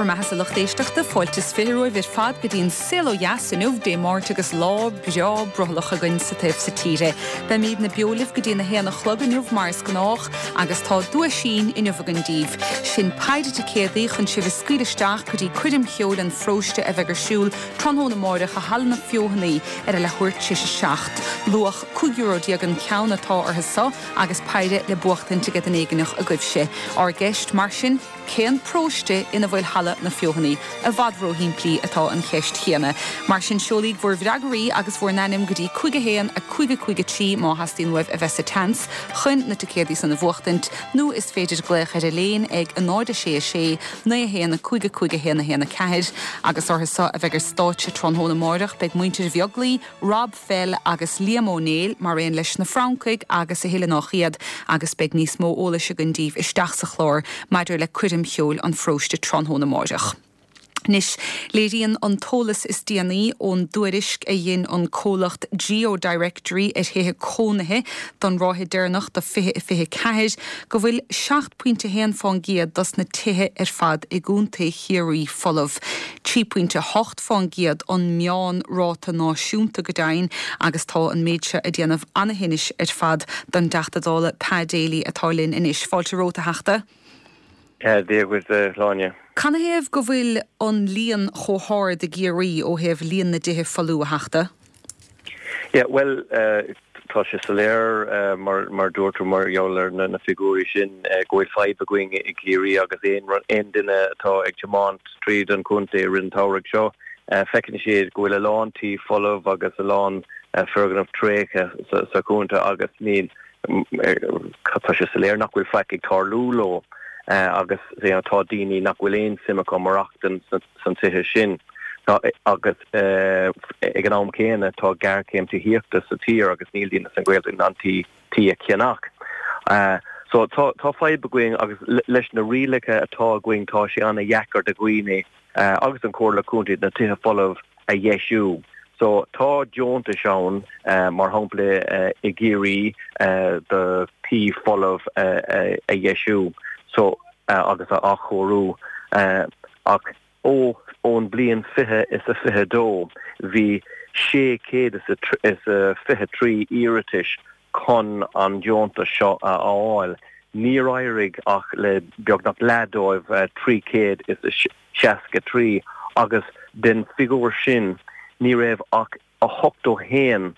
Bhur mbeathasa lucht éisteachta, fáilte is 20 romhaibh ar fad go dtí an Saol Ó Dheas inniu, Dé Máirt agus lá breá brothallach againn sa taobh so tíre. Beimídne beo libh go dtí an 1 a chlog inniu mar is gnách agus tá duaisín inniu againn daoibh. Sin péire ticéadaí chun sibh a scaoileadh isteach go dtí coirm cheoil an pharóiste a bheidh ar siúl tráthnóna amáireach i Halla na Feothanaí ar a leathuair tar éis a 7. Luach €15 euro an ceann atá orthu so agus péire le buachtaint ag duine éigineach agaibhse. Ár gceist, mar sin, cén paróiste ina bhfuil Halla na Feothanaí? I bhfad róshimplí atá an cheist chéanna. Mar sin, seolaíg bhur bhfreagraí agus bhur n-ainm go dtí 5 1 5 5 3 má theastaíonn uaibh a bheith sa tseans chun na ticéadaí san a bhuachtaint, nó is féidir glaoch ar Elaine ag 0 6 6 9 1 5 5 1 1 4. Agus orthu so a bheidh ar stáitse tráthnóna amáireach beidh muintir Bheaglaoí, Rob Fell agus Liam Ó Néill, mar aon leis na Francaigh agus a thuilleadh nách iad, agus beidh níos mó eolais againn daoibh isteach sa chlár maidir le coirm cheoil an pharóiste tráthnóna amáireach. Anois, léiríonn an t-eolas is déanaí ón dtuairisc a dhein an comhlacht GeoDirectory ar thithe cónaithe don ráithe deireanach de 2024 go bhfuil 7.1 fán gcéad dos na tithe ar fad i gContae Chiarraí folamh. 3.8 fán gcéad an meán-ráta náisiúnta go deimhin agus tá an méid seo ag déanamh ana-thinnis ar fad don dTeachta Dála Pa Daly atá linn anois. Fáilte romhat, a Theachta. Dia dhuit, a Shláine. Canathaobh go bhfuil an líon chomh hard i gCiarraí ó thaobh líon na dtithe folamh, a Theachta? Yeah, bhuel, tá sé soiléir, mar dúirt tú, mar gheall ar na figiúirí sin, go bhfuil fadhb againn i gCiarraí agus aon duine atá ag tiomáint tríd an chontae i rith an tsamhraidh seo, feiceann siad go bhfuil a lán tí folamh agus a lán foirgneamh tréigthe sa chontae agus níl, tá sé soiléir nach bhfuil faic ag tarlú leo agus tá daoine nach bhfuil aon suim acu maireachtaint sna tithe sin. Agus ag an am céanna tá géarchéim tithíochta sa tír agus níl daoine san Ghaeltacht in ann tí a cheannach. So tá tá fadhb againn agus leis na rialacha atá againn tá sé an-dheacair do dhaoine agus an Chomhairle Contae na tithe folamh a dheisiú. So tá deontais ann mar shampla i gCiarraí do tí folamh a dheisiú so agus a athchóiriú ach Ó ón bliain 20 is a 22 bhí 623 iarratais chun an deontas seo a fháil. Níor éirigh ach le beagnach leath dóibh, 363, agus den figiúr sin ní raibh ach 81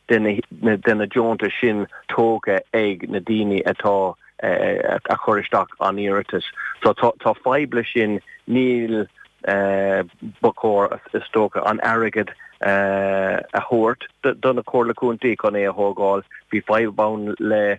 de na deontais sin tógtha ag na daoine atá a chuir isteach an iarratas. So tá fadhb leis sin, níl, ba chóir is dócha an airgead a thabhairt do na Comhairle Contae chun é a thógáil. Bhí fadhb ann le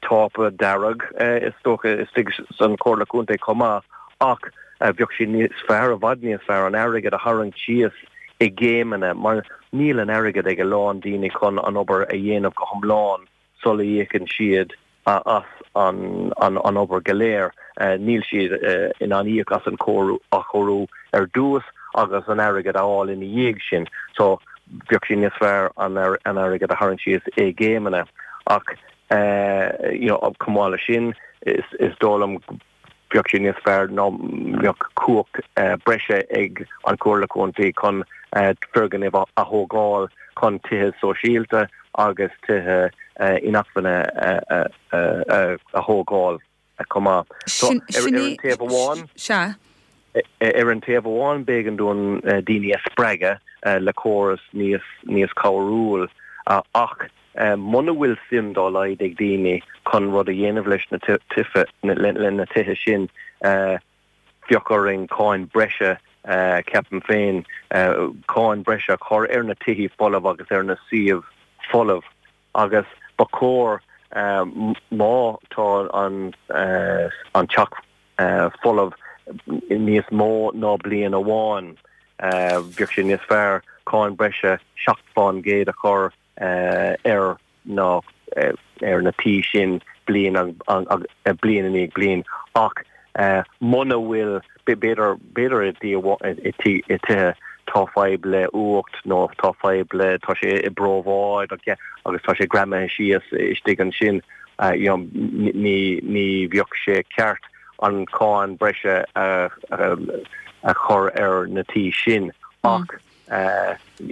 tápa dearg, is dócha, istigh san Chomhairle Contae chomh maith, ach bheadh sé níos fearr, i bhfad níos fearr, an airgead a tharraingt síos i gcéimeanna, mar níl an airgead ag a lán daoine chun an obair a dhéanamh go hiomlán sula íocann siad as an obair go léir. Níl siad in ann íoc as an athchóiriú ar dtús agus an airgead a fháil ina dhiaidh sin. So bheadh sé níos fearr an airgead a tharraingt síos i gcéimeanna. Ach you know chomh maith leis sin, is dóigh liom bheadh sé níos fearr dá mbeadh cumhacht breise ag an Chomhairle Contae chun foirgnimh a thógáil chun tithe sóisialta agus tithe inacmhainne a thógáil chomh maith. So ar an taobh amháin, ar an taobh amháin b'éigean dúinn daoine a spreagadh le córas níos níos cabhrúil ach muna bhfuil suim dá laghad ag daoine chun rud a dhéanamh leis na tithe le na tithe sin bheadh orainn cáin breise ceapaim féin cáin breise a chur ar na tithe folamh agus ar na suíomh folamh. Agus ba chóir, má tá an teach folamh níos mó ná bliain amháin, bheadh sé níos fearr cáin breise 7% a chur ar na ar na tí sin bliain bliain i ndiaidh bliain. Ach muna bhfuil, b'fhéidir, b'fhéidir i tithe tá fadhb le fuacht nó tá fadhb le, tá sé i bpríobháid agus tá sé greamaithe síos istigh ansin, you know, ní, ní bheadh sé ceart. an cáin breise a chur ar na tí sin ach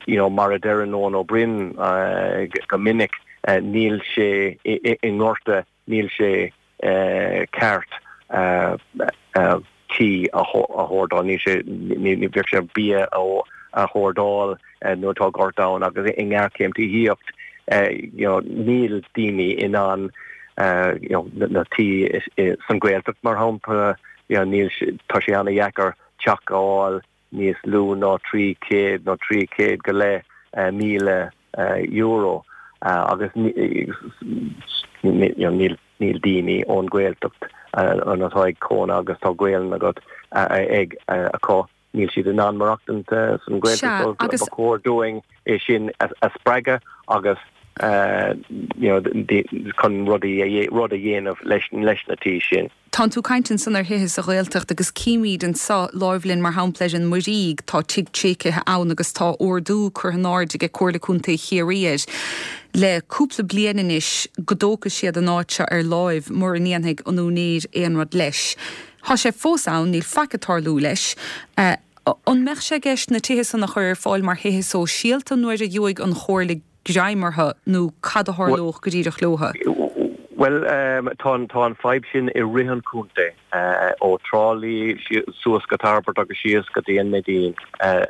you know mar a deireann Eoin Ó Broin go minic níl sé i ngorta níl sé ceart tí a hordáil, níl sé, ní bheadh sé bia a hordáil nuair atá gorta ann agus i ngéarchéim tithíocht you know níl daoine in ann you know na tí san Ghaeltacht mar shampla you know níl tá sé ana-dheacair teach a fháil níos lú ná 300 nó 300 go leith €1,000 agus níl níl daoine ón Ghaeltacht atá ag cónaí agus tá Gaelainn agat ag acu níl siad in ann maireachtaint san Ghaeltacht so ba chóir dúinn é sin a spreagadh agus you know chun rudaí rud a dhéanamh leis leis na tí sin. Tánn tú ag caint ansan ar thithe sa Ghaeltacht agus címíd anso láimh linn mar shampla ar an Muirígh, tá tigh tréigthe ann agus tá ordú curtha in airde ag Comhairle Contae Chiarraí air le cúpla bliain anois go dtógfaidh siad an áit seo ar láimh mura ndéanfaidh an úinéir aon rud leis. Tá sé fós ann, níl faic ag tarlú leis. An mbeadh sé i gceist na tithe san a chur ar fáil mar thithe sóisialta nuair a gheobhaidh an Chomhairle greim orthu nó cad a tharlódh go díreach leotha? Bhuel, tá an fadhb sin i rith an chontae, ó Trá Lí suas go Tairbeart agus síos go dtí an Neidín.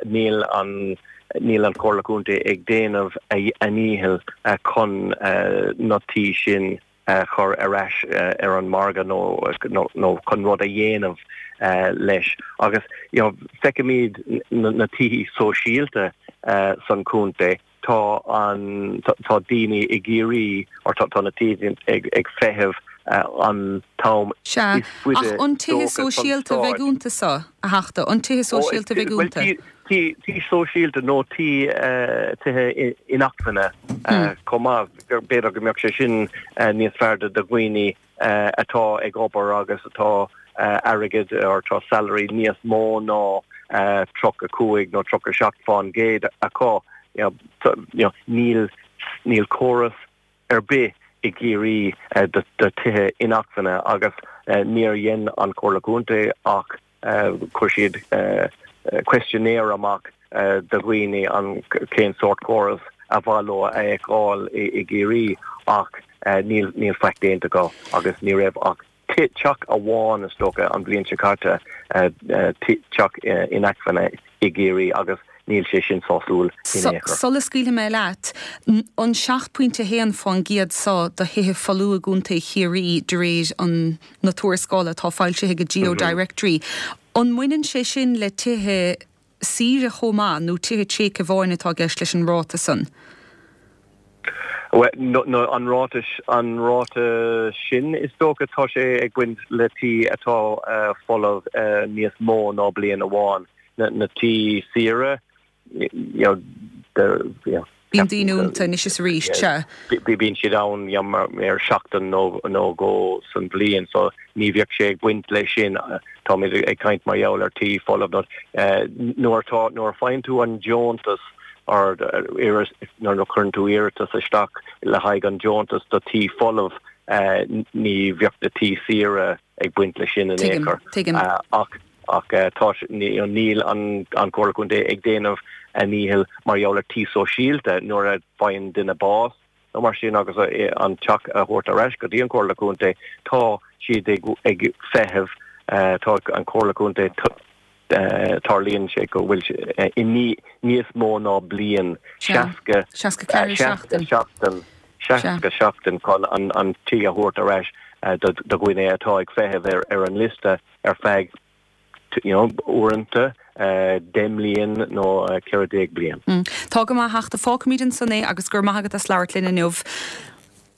Níl an níl an Chomhairle Contae ag déanamh a ndícheall chun na tí sin a chur ar ais ar an margadh nó chun rud a dhéanamh leis. Agus you know feicimid na tithe sóisialta san chontae, tá an tá daoine i gCiarraí or tá na tithe ag feitheamh an t-am Sea, is faide ach an tithe sóisialta a bheidh iontu so, a Theachta, an tithe sóisialta a bheidh iontu? Tí sóisialta nó tí tithe inacmhainne chomh maith. B'fhéidir go mbeadh sé sin níos fearr do dhaoine atá ag obair agus atá airgead or tá salary níos mó ná 35 nó 37 fán gcéad acu. Níl níl córas ar bith i gCiarraí do tithe inacmhainne agus níor dhein an Chomhairle Contae ach Chuir siad questionnaire amach do dhaoine an cén sórt córas a mhaith leo a fheiceáil i gCiarraí ach níl níl faic déanta acu agus ní raibh ach teach amháin is dócha an bhliain seo caite teach inacmhainne i gCiarraí agus níl sé sin sásúil in aon chor. Sula scaoilfidh mé leat, an 7.1 fán gcéad so do thithe folmha i gContae Chiarraí de réir an na tuarascála atá foilsithe ag GeoDirectory, an mbaineann sé sin le tithe saoire chomh maith nó tithe tréigthe amháin atá i gceist leis an ráta san? Bhuel, an ráta, an ráta sin is dócha, tá sé ag baint le tí atá folamh níos mó ná bliain amháin. Na tí saoire, you know, you know, Bíonn daoine iontu anois is arís, sea. Bíonn siad ann you know, ar seachtain nó nó dhó san bhliain so ní bheadh sé ag baint leis sin. Táimid ag caint mar gheall ar tí folamh nó nuair atá nuair a faigheann tú an deontas or nuair a chuireann tú iarratas isteach le haghaidh an deontas do tí folamh ní bheadh na tí saoire ag baint leis sin in aon chor. Tuigim. Ach ach tá níl an Chomhairle Contae ag déanamh a ndícheall mar gheall ar tí sóisialta nuair a faigheann duine bás nó mar sin agus an teach a thabhairt ar ais go dtí an Chomhairle Contae tá siad ag ag feitheamh tá an Chomhairle Contae tarlaíonn sé go bhfuil i níos mó ná bliain 60 64 seachtain seachtain 60 seachtain chun an tí a thabhairt ar ais do dhuine atá ag feitheamh ar an liosta ar feadh you know uaireanta 10 mbliain nó 14 bliain. Tá go maith a Theachta, fágfaimid ansan é agus go raibh maith agat as labhairt linn inniu.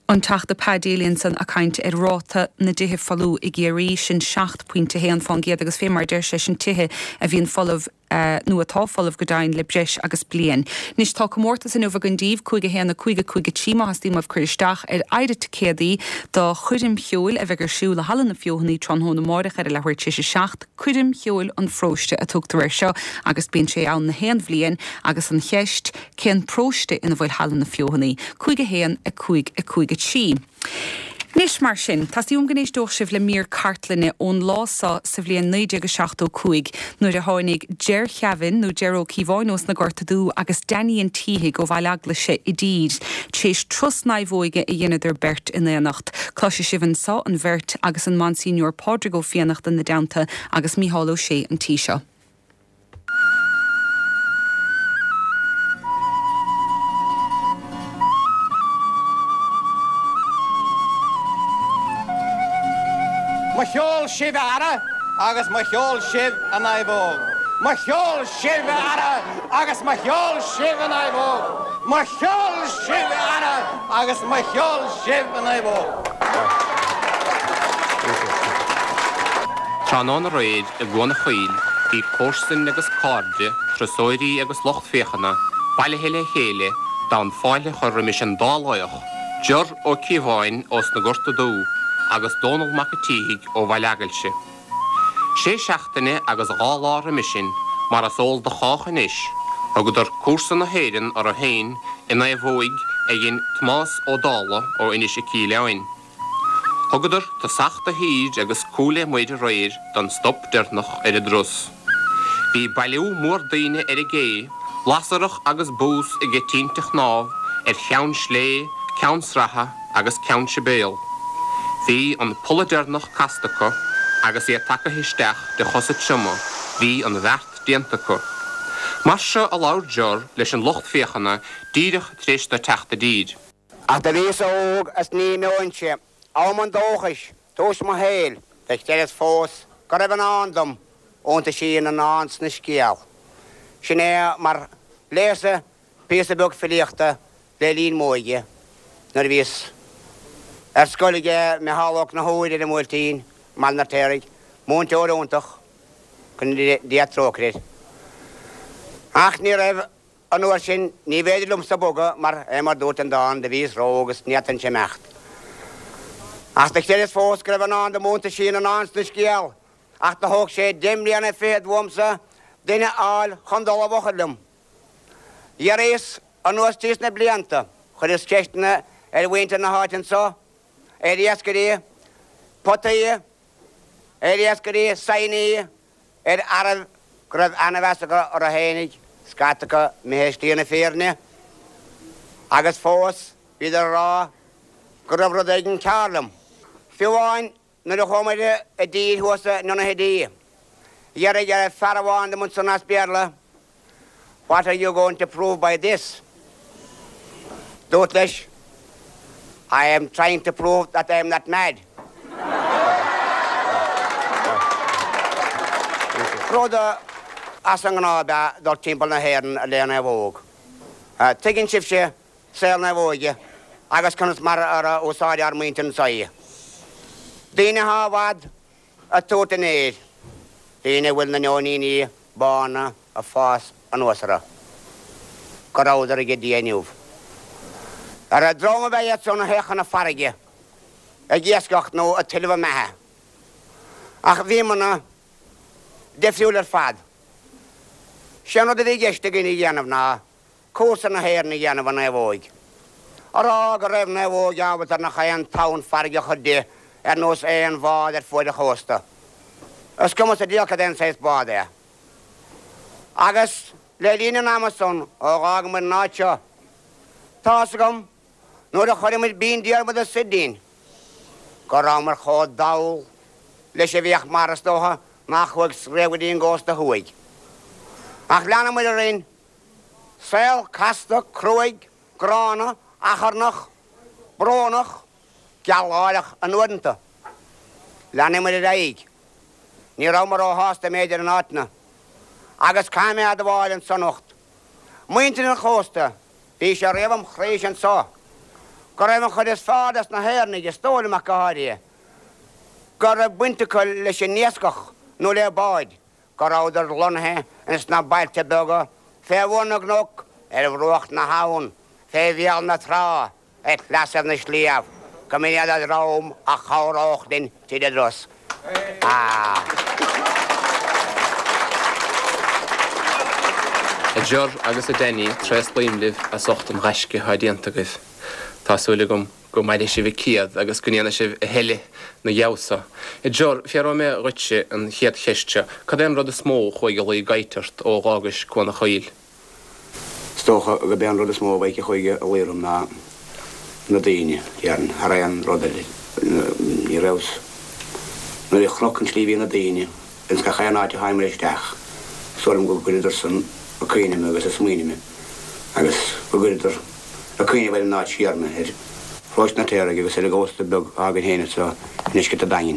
An Teachta Pa Daly ansan ag caint ar ráta na dtithe folmha i gCiarraí, sin 7.1 fán gcéad agus fé mar a deir sé, sin tithe a bhíonn folamh nó atá folamh go deimhin le breis agus bliain. Anois tá comórtas inniu againn daoibh, 5 1 5 5 3 má theastaíonn uaibh cur isteach ar oighre ticéadaí do choirm cheoil a bheidh ar siúl i Halla na Feothanaí tráthnóna amáireach ar a leathuair tar éis a 7. Coirm Cheoil an Pharóiste a tugtar air seo agus bíonn sé ann na haon bhliain agus an cheist, cén paróiste ina bhfuil Halla na Feothanaí? 5 1 5 5 3. Anois, mar sin, teastaíonn uaim go n-éisteodh sibh le mír cartlainne ón lá so sa bhliain 1975 nuair a tháinig Ger Kevin, nó Ger Ó Cíobháin ós na Gorta Dubha agus Danny an tSíthigh ó Bhaile Eaglaise i dtír, tar éis turas naomhóige a dheineadar beirt in aonacht. Cloisfidh sibh anso an bheirt agus an Monsignor Pádraig Ó Fiannachta ina dteannta agus Mícheál Ó Sé an tí seo. Mo cheol sibh a fheara agus mo cheol sibh a naomhóg. Mo cheol sibh a fheara agus mo cheol sibh a naomhóg. Mo cheol sibh a fheara agus mo cheol sibh a naomhóg. Tráthnóna aréir i gCuan a' Choill bhí comharsain agus cairde, turasóirí agus lucht féachana bailithe le chéile d'fhonn fáilte a chur roimis an dá laoch, Ger Ó Cíobháin ós na Gorta Dubha agus Dónall Mac a' tSíthigh ó Bhaile Eagailse. Sé seachtaine agus dha lá roimis sin, mar is eol do chách anois, thugadar cúrsa na hÉireann orthu féin i naomhóig a dhein Tomás Ó Dálaigh ó Inis 'Ic Aoileáin. Thugadar tosach do thír agus cúl le muir aréir don stop deireanach ar a dturas. Bhí bailiú mór daoine ar an gcé, lasarach agus bús aige tinte chnámh ar Cheann Slé, Ceann Sratha agus Ceann Sibéal. Bhí an polla deireanach casta acu agus iad tagaithe isteach de chosa trioma, bhí an bheart déanta acu. Mar seo a labhair Ger leis an lucht féachana díreach tar éis dó teacht i dtír. Ach do bhíos óg is ní imeoinnse, am an dóchais, tús mo shaoil, do chreideas fós go raibh i ndán dom, iontaisí na ndán 's na scéal. Sin é mar léas-sa píosa beag filíochta le linn m'óige, nuair a bhíos ar scoil aige Micheál Ó Conchúir ar an mBuailtín, i mBaile an Fheirtéaraigh, múinteoir iontach, go ndéana Dia trócaire air. Ach ní raibh An uair sin, ní bhféidir liomsa bogadh mar é mar dúirt an dán, do bhíos ró-óg is ní fhéadfainnse imeacht. Ach do chreideas fós go raibh i ndán dom iontaisí na ndán 's na scéal, ach do thóg sé deich mbliana fichead uaimsa duine a fháil chun dul i bhfochair liom. Dh'éiríos anuas tríos na blianta, chuireas ceisteanna ar mhuintir na háite anso, ar iascairí potaí, ar iascairí saighní, ar fhearaibh go raibh ana-mheas acu orthu fhéinig, scata acu imithe i slí na fírinne, agus fós bhíodar a rá go raibh rud éigin cearr liom. Fiú amháin nuair a chuamair i dtír thuas i Donaghadee, d'fhiafraigh fear amháin dom ansan as Béarla, What are you going to prove by this? Dúrt leis, I am trying to prove that I am not mad. Rud as an ngnáth ab ea dul timpeall na hÉireann le naomhóg. Tuigeann sibhse saol naomhóige agus conas mar a úsáideadh ár muintir anso í. Daoine atá i bhfad ag tabhairt an fhéir, daoine a bhfuil na neoiníní bána ag fás anuas orthu, go rabhadar aige Dia inniu. Ar dream ab ea iad san a théadh chun na farraige ag iascach nó ag tuilleamh a mbeatha. Ach bhíomarna difriúil ar fad. Sé an rud a bhí i gceist againn a dhéanamh ná cúrsa na hÉireann a dhéanamh i naomhóig. A rá go raibh naomhóig ábalta ar nach aon tonn farraige a chur di ar nós aon bhád ar fuaid an chósta. Is cuma sa diabhal cad é an saghas bád é. Agus le linn an ama san ó dh'fhágamair an áit seo, tá's agam, nuair a chuireamair Binn Diarmada soir dínn, go rabhamair chomh dall leis a bhíodh mar is dócha nach chuaigh riamh go dtí an gcósta thuaidh. Ach leanamair orainn Saol casta, cruaidh, gránna, achrannach, brónach, gealgháireach in uaireanta. Leanamair ar aghaidh. Ní rabhamar róshásta mb'fhéidir in áiteanna. Agus caithfidh mé a admháil anso anocht, muintir an chósta, bhí sé riamh im chroíse anso, go raibh an chuid is fearr des na hÉireannaigh, is dóigh liom ach go háirithe, go raibh baint acu leis an iascach nó le báid, go rabhadar lonnaithe ins na bailte beaga fé bhun na gcnoc, ar bhruach na habhann, fé bhéal na trá, ar shleasaibh na sliabh, go mb'in iad an dream a chabhródh linn tríd an dturas. A Ger agus a Danny, tréaslaím libh as ucht an ghaisce atá déanta agaibh. Tá súil agam. Go maire sibh an céad agus go ndéana sibh a thuilleadh 'na dhiaidh so. A Ger, fiafróidh mé dhuitse an chéad cheist seo, cad é an rud is mó a chuaigh a luí i gcairt ort ó dh'fhágais Cuan a' Choill? Is dócha gurb é an rud is mó a bheidh a chuaigh a luí orm ná na daoine, déarfainn, thar aon rud eile. Ní rabhas, nuair a chonac an tslí a bhí na daoine ins gach aon áit a thángamar isteach, is dóigh liom go gcuireadar san ag cuimhneamh mé agus ag smaoineamh mé agus go gcuireadar ag cuimhneamh ar an áit siar mé, ar Pharóiste an Fheartaigh agus ar an gcósta beag atá againn féin anseo i ndeisceart an Daingin.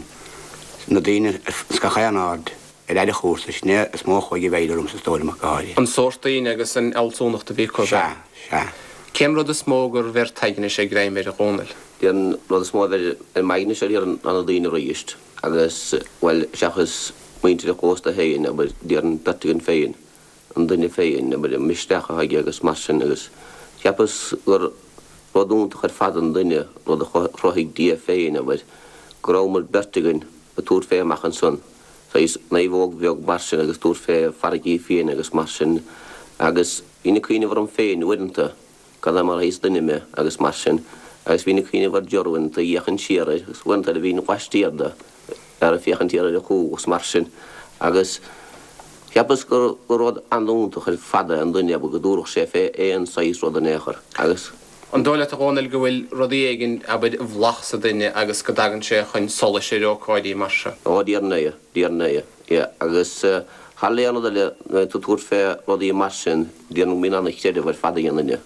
Na daoine ins gach aon aird ar fhad an chúrsa, sin é is mó a chuaigh i bhfeidhm ormsa is dóigh liom ach go háirithe. An sórt daoine agus an fhealsúnacht a bhí acu. Sea, sea. Cén rud is mó gur bheir t'aigne-se greim air, a Dhónaill? An rud is mó a bheir ar m'aigne-se déarfainn ná na daoine arís agus, bhuel, seachas muintir an chósta féin, abair, déarfainn beirt againn féin, an duine féin, abair, an misneach atá aige agus mar sin agus cheapas gur rud iontach ar fad an duine, rud a chruthaigh Dia féin, abair, go rabhamar beirt againn ag tabhairt fé amach ansan, saghas naomhóg bheag mar sin agus tabhairt fé farraigí fiaine agus mar sin agus bhínn ag cuimhneamh orm féin uaireanta, cad é mar shaghas duine mé agus mar sin agus bhínn ag cuimhneamh ar Ger uaireanta, ag féachaint siar air agus uaireanta eile bhínn laistiar de ar ag féachaint siar ar a chúl agus mar sin agus cheapas gur rud an-iontach ar fad é an duine abair go dtabharfadh sé fé aon saghas rud in aon chor agus. An dóigh leat a Dhónaill go bhfuil rudaí éigin, abair, i bhfolach sa duine agus go dtagann sé chun solais ar ócáidí mar seo? Ó, déarfainn é, déarfainn é, yeah. Agus thar aon rud eile, nuair atá tú ag tabhairt fé rudaí mar sin, déarfainn go mbíonn ana-chreideamh ar fad ag an duine,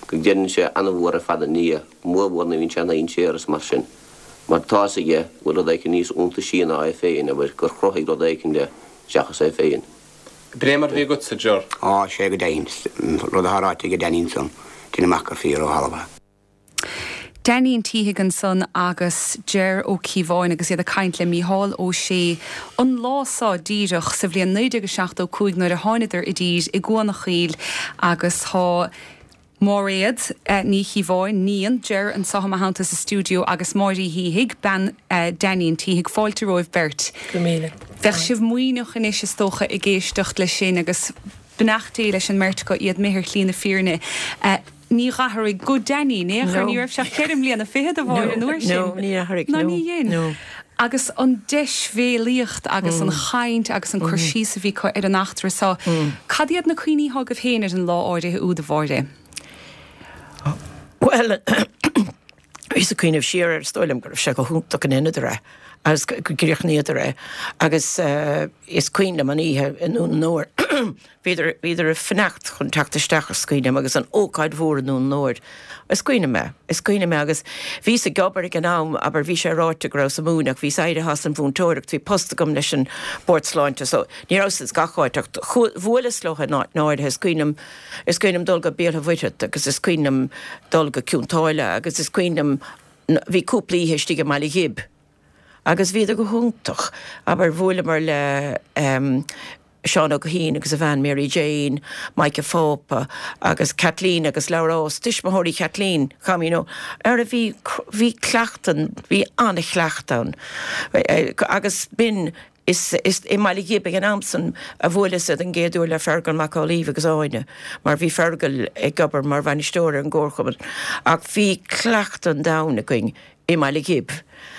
go gcreideann sé ana-mhór ar fad i nDia, mórmhór nuair a bhíonn sé i ndainséar is mar sin, mar tá fhios aige go bhfuil rud éicint níos iontaisí ná é féin, abair, gur chruthaigh rud éicint é seachas é féin. B'in é mar a bhí agatsa, Ger. Á, sé go deimhin, an rud atá ráite ag Danny ansan, deinim amach gur fíor ó thalamh é. Danny an tSíthigh ansan agus Ger Ó Cíobháin agus iad ag caint le Mícheál Ó Sé an lá seo díreach sa bhliain 1975 nuair a tháinadar i dtír i gCuan a' Choill agus tá Máiréad Ní Chíobháin, níon Ger anseo i mo theannta sa stiúideo agus Máire Uí Shíthigh, bean Danny an tSíthigh. Fáilte romhaibh beirt. Go raibh míle. Bheadh sibh maoithneach anois is dócha ag éisteacht leis sin agus beannacht Dé leis an mbeirt acu, iad imithe ar shlí na fírinne. Ní dh'athraigh guth Danny in aon chor, ní raibh sé ach ceithre mbliana fichead a Mháire an uair sin. No, níor athraigh, no. Ná ní dhein. Agus an deisbhéalaíocht agus an chaint agus an cur síos a bhí acu ar an eachtra seo. Cad iad na cuimhní atá agaibh féin ar an lá áirithe úd, a Mháire? Bhuel, bhíos ag cuimhneamh siar air, is dóigh liom go raibh sé go hiontach go ndeineadar é agus go gcríochnaíodar é agus is cuimhin liom an oíche i nDún an Óir, Bhíodar, bhíodar ag fanacht chun teacht isteach is cuimhin liom agus an ócáid mhór i nDún an Óir. Is cuimhin liom é, is cuimhin liom é agus bhíos ag obair ag an am, abair, bhí sé ráite go rabhas ag múineadh ach bhíos éirithe as an mhúinteoireacht, bhí post agam leis an Bord Sláinte so ní rabhas ins gach áit ach bhuaileas leo in áit áirithe, is cuimhin liom, is cuimhin liom dul go Béal Átha Mhuirthead agus is cuimhin liom dul go Cionn tSáile agus is cuimhin liom, bhí cúpla oíche istigh i mBaile Ghib agus bhíodar go hiontach, abair, bhuaileamar le Seán Ó Guithín agus a bhean Mary Jane, Mike a' Phápa agus Kathleen agus Labhrás, tuismitheoirí Kathleen, cham, you know, ar a bhí, bhí cleachtadh, bhí an-chleachtadh ann agus b'in, is, is i mBaile Ghib ag an am san a bhuaileas den gcéad uair le Fergal Mac Amhlaoibh agus Áine mar bhí Fergal ag obair mar bhainisteoir ar an gcomharchumann ach bhí cleachtadh an domhain againn i mBaile Ghib.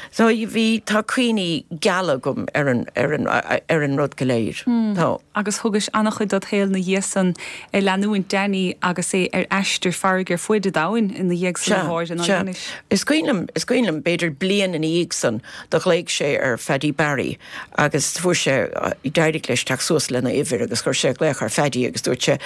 So bhí, tá cuimhní geala agam ar an, ar an, ar an rud go léir. Tá. Agus thugais an-chuid dod shaol 'na dhiaidh san ag leanúint Danny agus é ar aistear farraige ar fuaid an domhain ina dhiaidh san a Mháire ná Sea, sea. Is cuimhin liom, is cuimhin liom, b'fhéidir bliain ina dhiaidh san, do ghlaoigh sé ar Phaddy Barry agus fuair sé, d'éirigh leis teacht suas lena uimhir agus chuir sé glaoch ar Phaddy agus dúirt sé,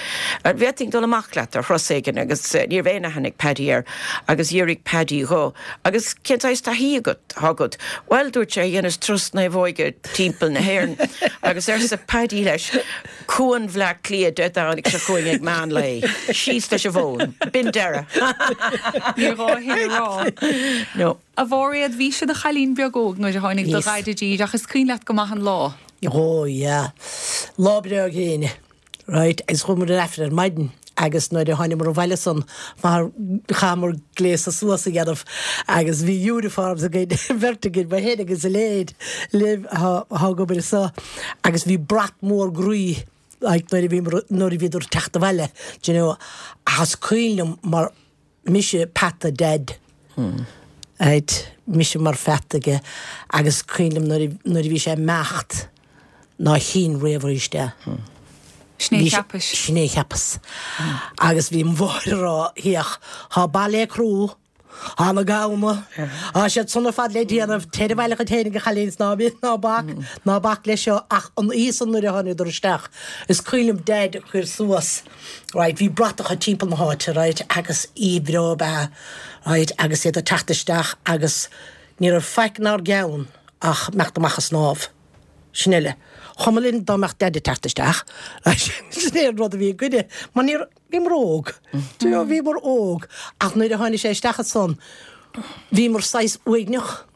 an bhféadfainn dul amach leat ar thuras éigin agus ní raibh aon aithne ag Paddy air agus d'fhiafraigh Paddy dho agus cén saghas taithí agat, atá agat? Bhuel, dúirt sé, dheineas turas naomhóige timpeall na hÉireann agus arsa Paddy leis, Cuan Bhleá Cliath Dé Domhnaigh seo chugainn ag meán lae. Síos leis an bhfón. B'in deireadh. Níor ghá a thuilleadh a rá. No. A Mháiréad, bhís i do chailín beag óg nuair a tháinig do Bhíos. dhaid i dtír ach is cuimhin leat go maith an lá. Ó yeah. Lá breá gréine. Right, agus chuamar ar Aifreann ar maidin agus nuair a tháinigeamar abhaile ansan chaitheamar gléasadh suas a dhéanamh agus bhí uniforms againn, beirt againn, mé féin agus a Elaine, Liv atá ag obair anso agus bhí brat mór groí like nuair a bhíomar, nuair a bhíodar ag teacht abhaile, do you know, ach is cuimhin liom mar mise peata Dad. Right, mise mar pheata aige agus cuimhin liom nuair a, nuair a bhí sé ag imeacht ná chínn riamh arís é. Sin é a cheapais. Sin é a cheapas. Agus bhí mo mháthair ag rá, Féach, tá baile crua, Tá na gamhna, tá siad san ar fad le déanamh, téir abhaile dhuit fhéinig a chailín is ná bí, ná bac, ná bac leis seo ach an oíche san nuair a tháinigeadar isteach, is cuimhin liom Daid a chuir suas, right, bhí bratacha timpeall na háite, right, agus oíche bhreá ab ea, right, agus iad ag teacht isteach agus ní raibh faic inár gceann ach imeacht amach a snámh. Sin uile. Chuma linn dá mbeadh Daid ag teacht isteach, right, sin é an rud a bhí againne, mar ní raibh, Bhíomar óg. Do you know, bhíomar óg. Ach nuair a tháinig sé isteach ansan, bhíomar saghas uaigneach.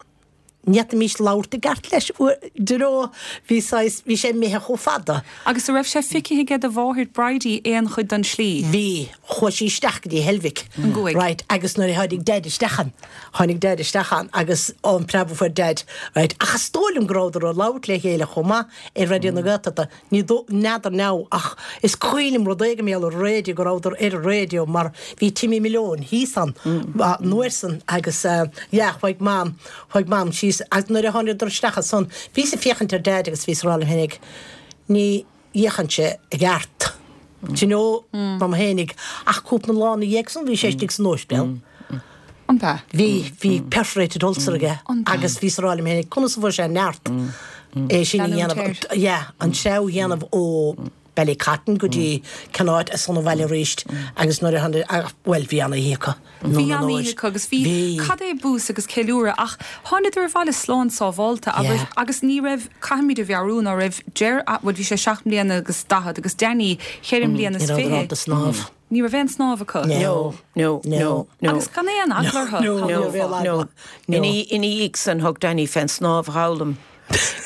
Ní fhéadfaimis labhairt i gceart leis. Do you know, bhí saghas, bhí sé imithe chomh fada. Agus a' raibh sé feicthe aige do mháthair Bridie aon chuid den slí? Bhí. Chuaigh sí isteach go dtí Heilbhic. An gcuaigh? Right. Agus nuair a tháinig Daid isteach ann, tháinig Daid isteach ann agus an preab a fuair Daid, right. Ach is dóigh liom go rabhadar ag labhairt le chéile chomh maith ar Raidió na Gaeltachta. Ní dó, n'fheadar now ach is cuimhin liom rud éigin mar gheall ar an raidió, go rabhadar ar an raidió mar bhí Timmy Malone thíos ann an uair san agus yeah chuaigh Mam, chuaigh Mam síos agus nuair a tháinigeadar isteach ansan bhíos ag féachaint ar Daid agus bhíos ag rá liom fhéinig ní fhéachann sé i gceart, do you know, dom fhéinig ach cúpla lá ina dhiaidh san bhí sé istigh san óispidéal. An b'ea? Bhí, bhí perforated ulcer aige agus bhíos ag rá liom féinig, conas a fuair sé neart é sin a dhéanamh, yeah, an treabhadh a dhéanamh ó Ballycotton go dtí cén áit is ansan abhaile arís agus nuair a tháinig, bhuel, bhí an-oíche acu. Bhí an-oíche acu agus bhí, cad é bús agus ceiliúradh ach thánadar abhaile slán sábhálta abair agus ní raibh, caithfimid a mheabhrú ná raibh Ger, bhuel bhí sé seacht mbliana agus daichead agus Danny cheithre mbliana is Ní rabhadar ábalta snámh. Ní raibh aon snámh acu. No, no, no, no. Agus gan aon eagla orthu. No, no, no. Ina dhiaidh san thug Danny fén snámh a fhoghlaim.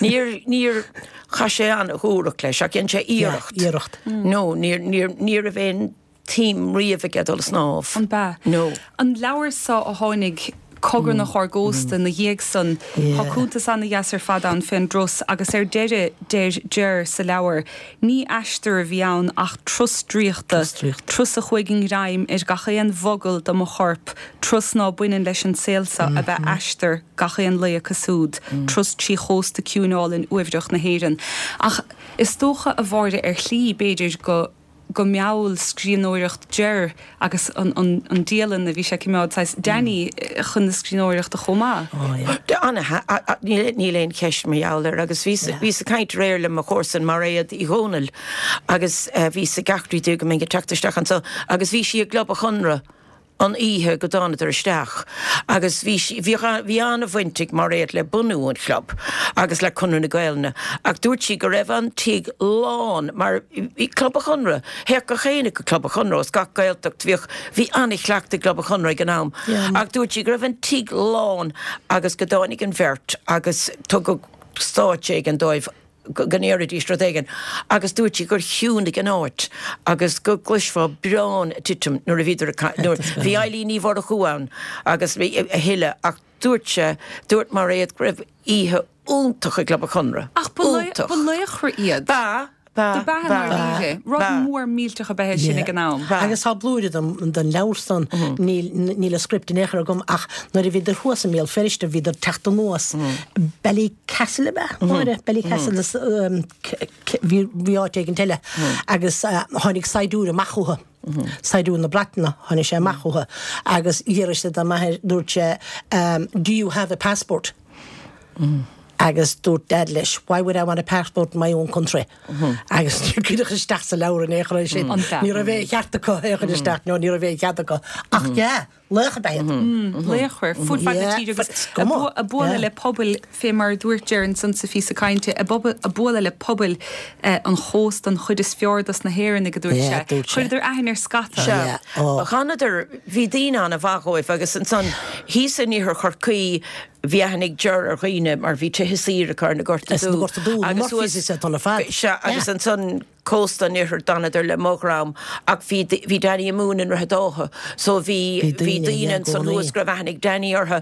Níor, níor, chaith sé an-dhúthracht leis ach dhein sé iarracht. Iarracht. No, níor, níor, ní raibh aon tsuim riamh aige dul a snámh. An b'ea? No. An leabhar so a tháinig cogarnach ár gcósta 'na dhiaidh san, tá cuntas ana-dheas ar fad ann fén dturas agus ar deireadh deir Ger sa leabhar, Ní aistear a bhí ann ach turas draíochta, turas a chuaigh i ngreim ar gach aon mhogall de mo chorp, turas ná baineann leis an saol seo ab ea aistear gach aon lae acu siúd, turas trí chósta ciúin álainn uaibhreach na hÉireann. Ach is dócha, a Mháire, ar shlí, b'fhéidir, go. go mheall scríbhneoireacht Ger agus an an dialann a bhí sé ag coimeád, saghas Danny chun na scríbhneoireachta chomh maith. Níl aon cheist mar gheall air agus bhíos bhíos ag caint aréir le mo chomharsan Mairéad Uí Dhomhnaill agus bhíos ag eachtraí di go mbeinn ag teacht isteach anso agus bhí sí i gClub an Chonradh an oíche go dtánadar isteach agus bhí sí, bhí, bhí an-bhaint ag Mairéad le bunú an chlub agus le Conradh na Gaelainne ach dúirt sí go raibh an tigh lán mar bhí Club an Chonradh, théadh gach éinne go Club an Chonradh as gach Gaeltacht, bhíodh, bhí an-chleachtadh i gClub an Chonradh ag an am ach dúirt sí go raibh an tigh lán agus go dtáinig an bheirt agus tugadh stáitse éigin dóibh. go ndéarfaidís rud éigin agus dúirt sí gur chiúnaigh an áit agus go gcloisfeá braon ag titim nuair a bhíodar ag caint, nuair, bhí Eilín Ní Mhurchú ann agus bhí a thuilleadh ach dúirt sé, dúirt Mairéad go raibh oíche iontach i gClub an Chonradh, Ach ba iontach. ba laochra iad. Ba, ba, Do b'ea ba, i ndáiríre. Rud ba. mór millteach ab ea é sin ag an am. Ba. Agus tá blúire den, den leabhar san, níl, níl an script in aon chor agam ach nuair a bhíodar thuas i mBéal Feirste bhíodar ag teacht anuas, Ballycastle ab ea, Máire? Ballycastle is bhí bhí áit éigint eile agus tháinig saighdiúir amach chucu, saighdiúir na Breataine, tháinig sé amach chucu agus d'fhiafraigh sé de m'athair, dúirt sé do you have a passport? Agus dúirt Dad leis why would I want a passport in my own country? Agus níor cuireadh isteach sa leabhar in aon chor é sin. Ní raibh aon cheart acu é a chur isteach, no ní raibh aon chead acu. Ach yeah, Laoch ab ea iad. Laochra fud fad na tíre agus ag bualadh le pobail, fé mar a dúirt Ger ansan sa phíosa cainte, ag bualadh le pobail an chósta, an chuid is fearr dos na hÉireannaigh, a dúirt sé. Chuireadar aithne ar scata. Sea. Dh'fhanadar, bhí daoine an-mhaith dhóibh agus ansan thíos in iarthar Chorcaí bhí aithne ag Ger ar dhaoine mar bhí tithe saoire acu ar na Gorta Dubha agus thuas, sea, agus ansan. Cósta an Iarthair d'fhanadar le mo dhream ach bhí, bhí Danny ag múineadh i nDroichead Átha so bhí, Bhí bhí daoine, daoine yeah, i ansan gcónaí. thuas go raibh aithne ag Danny orthu.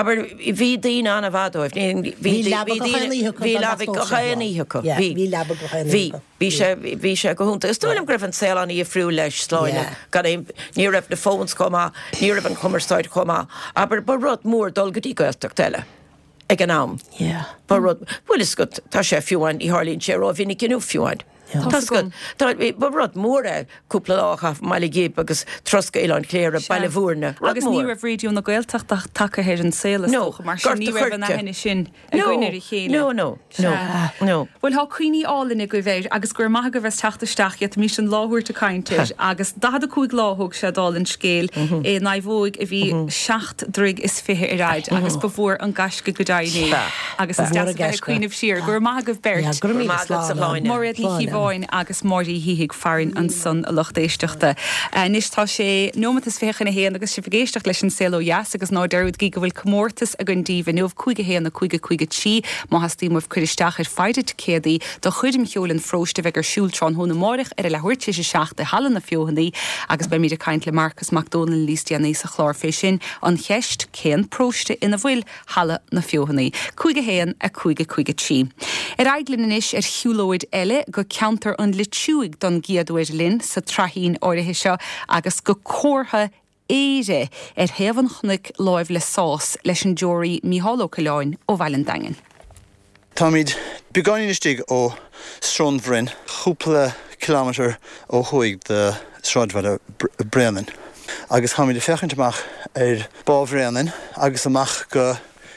Abair, bhí daoine an-mhaith dóibh. Ní, bhí, Bhí bhí leaba gach daoine, aon oíche acu bhí dá leaba dteastódh gach sé aon lá. oíche acu. Yeah, Bhí, bhí leaba gach aon bhí. oíche acu. Bhí sé, bhí sé go hiontach. Is dóigh liom go raibh an saol an-dhifriúil leis, Sláine, Yeah. gan aon, ní raibh na phones chomh maith, ní raibh an chumarsáid chomh maith. Abair, ba rud mór dul go dtí Gaeltacht eile ag an am. Yeah. Ba rud, bhuel is go, tá sé fiú amháin, ní tharlaíonn sé rómhinic inniu fiú amháin. Yeah. Tá 's agat, tá, ba rud mór é cúpla lá a chaitheamh i mBaile Ghib agus turas go Oileán Chléire, Sea. Baile Bhúirne, rud Agus ní mór. raibh Raidió na Gaeltachta tagtha ar an saol is No, dócha, mar sin Gort ní a' raibh an Choirce. aithne sin. No, againn ar a chéile. no, no, no, no. Bhuel, tá cuimhní álainn agaibh air agus go raibh maith agaibh as teacht isteach, d'fhéadfaimis an lá a thabhairt ag caint air agus 45 lá a thóg sé dála an scéil i naomhóig a bhí seacht dtroigh is 20 ar fhaid agus ba mhór an gaisce go deimhin é agus is deas a bheith ag cuimhneamh siar. Go raibh maith agaibh beirt. Go raibh maith agat, a Shláine. Máiréad Ní Chíobháin agus Máire Uí Shíthigh farainn ansan a lucht éisteachta. Anois tá sé nóimeat is 20 chun a haon agus sibh ag éisteacht leis an Saol Ó Dheas agus ná dearúdaigí go bhfuil comórtas againn daoibh inniu, 5 1 5 5 3, má theastaíonn uaibh cur isteach ar pheidhre ticéadaí do choirm cheoil an pharóiste a bheidh ar siúl tráthnóna amáireach ar a leathuair tar éis a 7 i Halla na Feothanaí agus beimid ag caint le Marcas Mac Dónaill níos déanaí sa chlár fé sin. An cheist, cén paróiste ina bhfuil Halla na Feothanaí? 5 1 5 5 3. Ar aghaidh linn anois ar shiúlóid eile go ceantar an Loitiúigh don gcéad uair linn sa tsraithín áirithe seo agus go comhartha Éire ar thaobh an chnoic láimh le Sás leis an deoraí Mícheál Ó Coileáin ó Bhaile an Daingin. Táimid beagáinín istigh ó Srón Bhroin, cúpla kilometre ó thuaidh de sráidbhaile Bréanainn, agus táimid ag féachaint amach ar Bá Bhréanainn agus amach go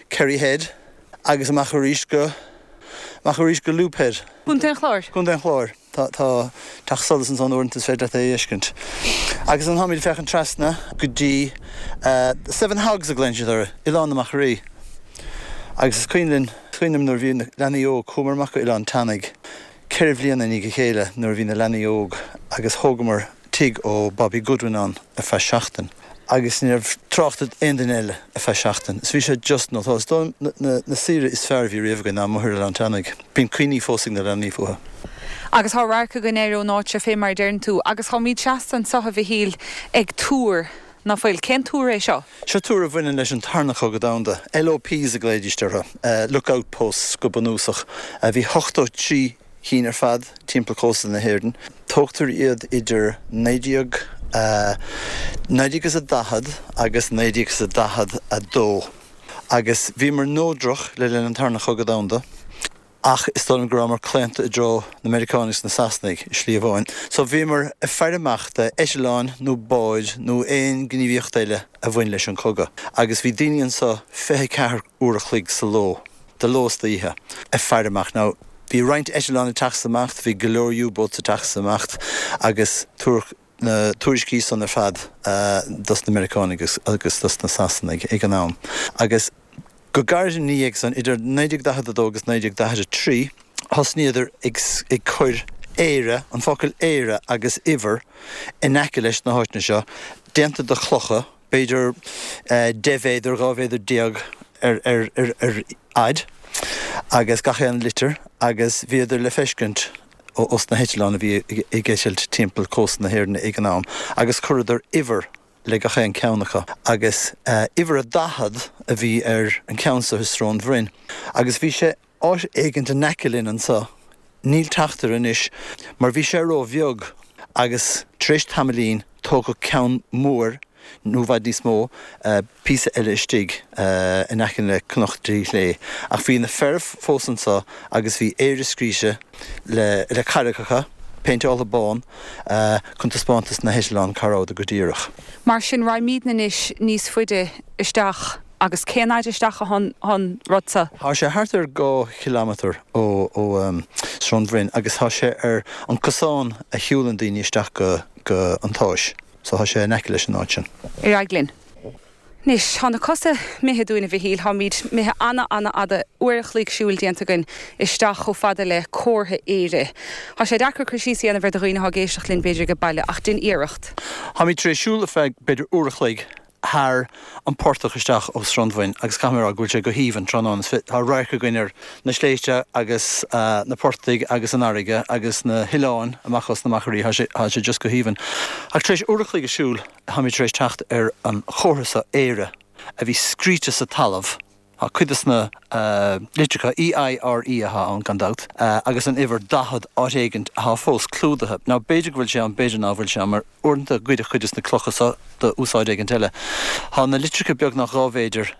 Kerry Head agus amach arís go, amach arís go Loop Head. Contae an Chláir. Contae an Chláir. Tá teach solais ansan uaireanta is féidir leat é a fheiscint. Agus ansan táimid ag féachaint trasna go dtí Seven Hogs a ghlaonn siad orthu, Oileán na Machairí. Agus is cuimhin linn, is cuimhin liom nuair a bhí na leanaí óg, chuamar amach go Oileán Teannaigh ceithre bhliana i ndiaidh a chéile nuair a bhí na leanaí óg agus thógamar tigh ó Bobby Goodwin ann ar feadh seachtain agus ní raibh trácht ar aon duine eile ar feadh seachtain. Is bhí sé just nó is dóigh liom na saoire is fearr a bhí riamh againn ná amuigh ar Oileán Teannaigh. Bíonn cuimhní fós ag na leanaí fúthu. Agus tá radharc againn air ón áit seo fé mar a deireann tú. Agus táimid seasta anseo, a Mhichíl, ag túr, ná fuil? Cén túr é seo? Seo túr a bhaineann leis an Tarna Cogadh Domhanda. LOPs a ghlaoidíst orthu, Look Out Posts go bunúsach. Bhí 83 chinn ar fad timpeall cósta na hÉireann. Tógtar iad idir 1940 agus 1942 agus bhíomar neodrach le linn an Tarna Chogadh Domhanda ach is dóigh liom go rabhamar claonta i dtreo na Meiriceánaigh agus na Sasanaigh i slí amháin. So bhíomar ag faire amach d'eitleáin nó báid nó aon gníomhaíocht eile a bhain leis an cogadh agus bhí daoine anso 24 uair a chloig sa ló. de ló is d'oíche, ag faire amach. Now, bhí roinnt eitleán ag teacht is ag imeacht, bhí go leor U-boats ag teacht is ag imeacht agus tabharfadh na tuairiscí san ar fad dos na Meiriceánaigh agus dos na Sasanaigh ag an am. Agus go gairid ina dhiaidh san, idir 1942 agus 1943, thosnaíodar ag ag cur Éire, an focal Éire agus uimhir in aice leis na háiteanna seo, déanta de chlocha, b'fhéidir 10 mhéadar, 12 mhéadar ar fhaid agus gach aon litir agus bhíodar le feiscint os na heitleáin a bhí ag eitilt timpeall cósta na hÉireann ag an am agus chuireadar uimhir le gach aon ceann acu agus uimhir a 40 a bhí ar an ceann seo i Srón Bhroin agus bhí sé áit éigint in aice linn anso. Níl teacht air anois mar bhí sé ró-bheag agus tar éis tamaillín tógadh ceann mór, nó i bhfad níos mó, píosa eile istigh in aice le Cnoc Dtrí Shlé. Ach bhí na fir fós anso agus bhí Éire scríte le carraigeacha, péinteáltha bán, chun taispeáint dos na heitleáin cá rabhadar go díreach. Mar sin, raghaimídne anois níos faide isteach. Agus cén fhaid isteach atá an rud seo? Tá sé thart ar 2 chileamatar ó Srón Bhroin agus tá sé ar an cosán a shiúlann daoine isteach go go an tSáis. So tá sé in aice leis an áit sin. Ar aghaidh linn. Anois, tá na cosa imithe dúinn, a Mhichíl. Táimid imithe ana-ana-fhada, uair a chloig siúil déanta againn isteach chomh fada le comhartha Éire. Tá sé deacair cur síos a dhéanamh air do dhaoine atá ag éisteacht linn, b'fhéidir, ag baile, ach dein iarracht. Táimid tar éis siúl ar feadh b'fhéidir uair a chloig. thar an portach isteach ó Srón Bhroin agus caithfidh mé a rá go bhfuil sé go haoibhinn tráthnóna. Tá radharc againn ar na sléibhte agus na portaigh agus an fharraige agus na hoileáin amach os na machairí. Tá sé, tá sé just go haoibhinn. Ach tar éis uair a chloig ag siúl, táimid tar éis teacht ar an chomhartha seo, Éire, a bhí scríte sa talamh. Tá cuid de na litreacha, E-I-R-E atá ann gan dabht, agus an uimhir 40 áit éigint atá fós clúdaithe. Now b'fhéidir go bhfuil sé ann, b'fhéidir ná bhfuil sé ann, mar uaireanta goideadh cuid de na clocha so do úsáid éigint eile. Tá na litreacha beagnach 12 mhéadar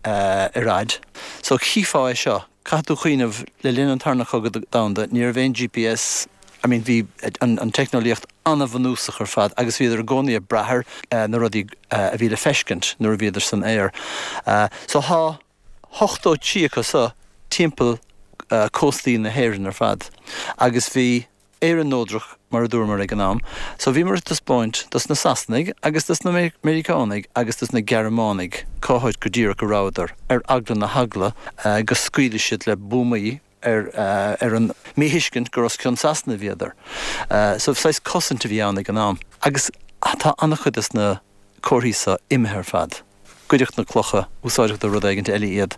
ar fhaid. So chífeá é seo. Caithfidh tú cuimhneamh, le linn an Tarna Cogadh Domhanda, ní raibh aon GPS, I mean bhí an teicneolaíocht an-bhunúsach ar fad agus bhíodar i gcónaí ag brath ar na rudaí a bhí le feiscint nuair a bhíodar san aer. So thá 83 acu so timpeall cóstaí na hÉireann ar fad agus bhí Éire neodrach mar a dúramar ag an am so bhíomar ag taispeáint dos na Sasanaigh agus dos na Meiriceánaigh agus dos na Gearmánaigh cá háit go díreach a rabhadar ar eagla na heagla go scaoileadh siad le buamaí ar ar an míthuiscint gur os cionn Sasana a bhíodar. So saghas cosaint a bhí ann ag an am. Agus tá an-chuid des na comharthaí so imithe ar fad. Goideadh na clocha, úsáideadh do rud éigint eile iad.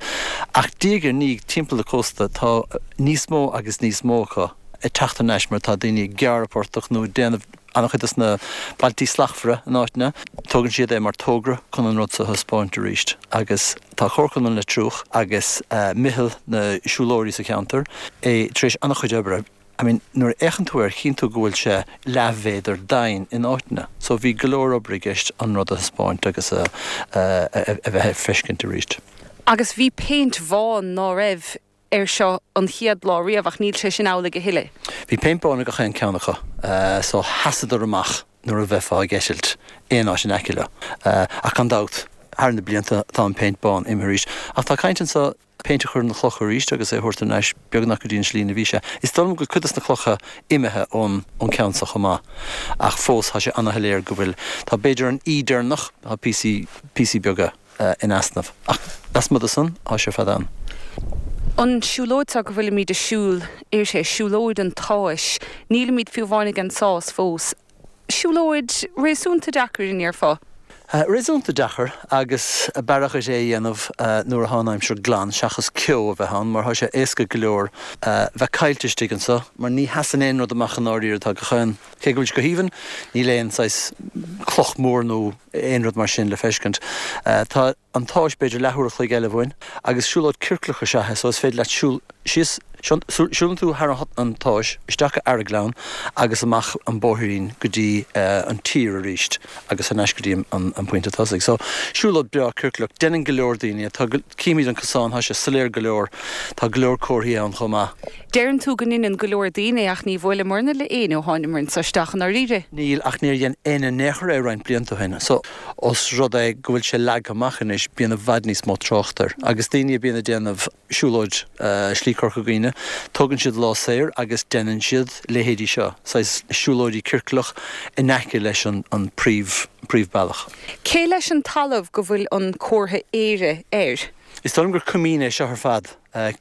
Ach diaidh ar ndiaidh timpeall na cósta tá níos mó agus níos mó acu ag teacht thar n-ais mar tá daoine ag gearradh portach nó ag déanamh an-chuid des na Bailtí Slachtmhara in áiteanna. Tógann siad é mar togra chun an rud so a thaispeáint arís agus tá Comharchumann Leitir Frúich agus Meitheal na Siúlóirí sa cheantar é tar éis an-chuid oibre. I mean nuair a fhéachann tú air chíonn tú go bhfuil sé leathmhéadar doimhin in áiteanna. So bhí go leor obair i gceist an rud a thaispeáint agus a a bheith ar feiscint arís. Agus bhí péint bhán, ná raibh? air seo an chéad lá riamh ach níl sé sin amhlaidh a thuilleadh. Bhí péint bán ar gach aon ceann acu so sheasadar amach nuair a bheifeá ag eitilt aon áit in aice leo. Ach gan dabht, thar na blianta tá an péint bán imithe arís. Ach tá caint anso péint a chur ar na clocha arís agus é a thabhairt thar n-ais beagnach go dtí an slí ina bhí sé. Is dóigh liom go bhfuil cuid des na clocha imithe ón ceann so chomh maith ach fós tá sé ana-shoiléir go bhfuil, tá b'fhéidir an E deireanach, tá píosaí, píosaí beaga. in easnamh. Ach lasmuigh de san, tá sé ar fad ann. An siúlóid seo go bhfuilimid ag siúl uirthi, siúlóid an tSáis, nílimid fiú amháin ag an Sás fós. Siúlóid réasúnta deacair, an ndéarfá? Réasúnta deacair agus b'fhearra dhuit é a dhéanamh nuair atá an aimsir glan seachas ceo a bheith ann mar tá sé éasca go leor bheith caillte istigh anso mar ní sheasann aon rud amach i ndáiríre tá gach aon Cé go bhfuil sé go haoibhinn, níl aon saghas cloch mhór nó aon rud mar sin le feiscint. Tá an tSáis b'fhéidir leathuair a chloig eile uainn agus siúlóid ciorclach is ea é so is féidir leat siúl síos, siúlann tú thar an tSáis, isteach go Arragleann agus amach an bóithrín go dtí an tír arís agus thar n-ais go dtí an pointe tosaigh. So siúlóid breá ciorclach. Deineann go leor daoine é. Tá, címid an cosán, tá sé soiléir go leor, tá go leor comharthaí ann chomh maith. Deireann tú go ndeineann go leor daoine é ach ní bhuaileamarna le éinne ó tháinimear anso isteach i ndáiríre. Níl, ach níor dhein éinne in aon chor é roinnt blianta ó shin. So, os rud é go bhfuil sé leagtha amach anois, bíonn i bhfad níos mó trácht air. Agus daoine a bíonn ag déanamh siúlóid Slí Corca Dhuibhne, tógann siad lá saor agus deineann siad leithéidí seo, saghas siúlóidí ciorclach in aice leis an príomh, príomhbealach. Cé leis an talamh go bhfuil an comhartha Éire air? Is dóigh liom gur coimín é seo ar fad.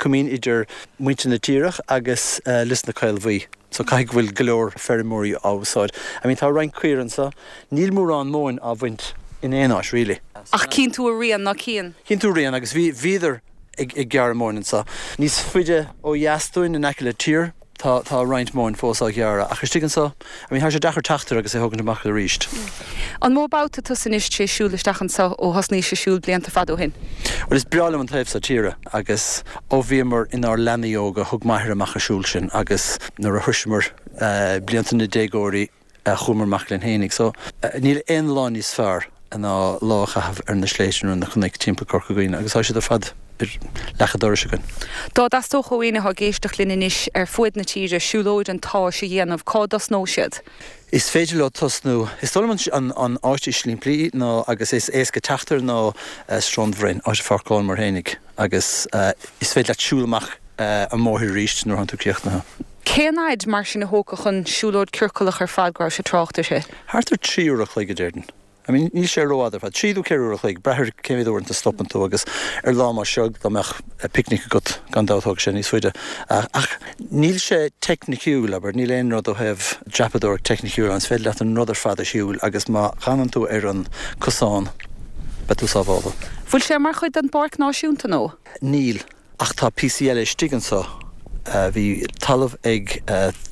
Coimín idir muintir na tíre agus Lios na Caolbhuí. So caithfidh go bhfuil go leor feirmeoirí á úsáid. I mean tá roinnt caor anso. Níl mórán móin á bhaint in aon áit really. Ach cíonn tú a rian, ná cíonn? Cíonn tú a rian agus bhí, bhíodar ag gearradh móin anso. Níos faide ó dheas dúinn in aice le Tír. Tá, tá roinnt móin fós á ghearradh, ach istigh anso, I mean, tá sé deacair teacht air agus é thógaint amach arís. An mó babhta tusa anois tar éis siúl isteach anso ó thosnaís ag siúl blianta fada ó shin? Bhuel, is breá liom an taobh so tíre agus ó bhíomar inár leanaí óga thug m'athair amach ag siúl sinn agus nuair a shroiseamar blianta na déagóirí, Chuamar amach linn fhéinig. So, níl aon lá níos fearr ná lá a chaitheamh ar na sléibhte nó ar na cnoic timpeall Corca Dhuibhne agus tá siad ar fad ar leac an dorais againn. Dá dteastódh ó éinne atá ag éisteacht linn anois ar fuaid na tíre siúlóid an tSáis a dhéanamh, cá dtosnódh siad? Is féidir leo tosnú, is dóigh liom an áit is simplí ná agus is éasca teacht air ná Srón Bhroin, áit a pháirceálamar fhéinig agus is féidir leat siúl amach an mbóthar arís nuair atánn tú críochnaithe. Cén fhaid mar sin a thógfadh an siúlóid ciorcalach ar fad go raibh sé trácht uirthi? Thart ar 3 uair a chloig a déarfainn. I mean níl sé rófhada ar fad. 3 nó 4 uair a chloig, brath ar cé mhéad uaireanta a stopann tú agus ar lá mar seo dá mbeadh picnic agat gan dabht thógfadh sé níos faide. Ach níl sé teicniciúil, abair, níl aon rud ó thaobh dreapadóireacht teicniciúil ann. Is féidir leat an rud ar fad a shiúl agus má fhanann tú ar an cosán. beidh tú sábháltha. Bhfuil sé mar chuid den bPáirc Náisiúnta nó? Níl, ach tá píosaí eile istigh anso. Bhí talamh ag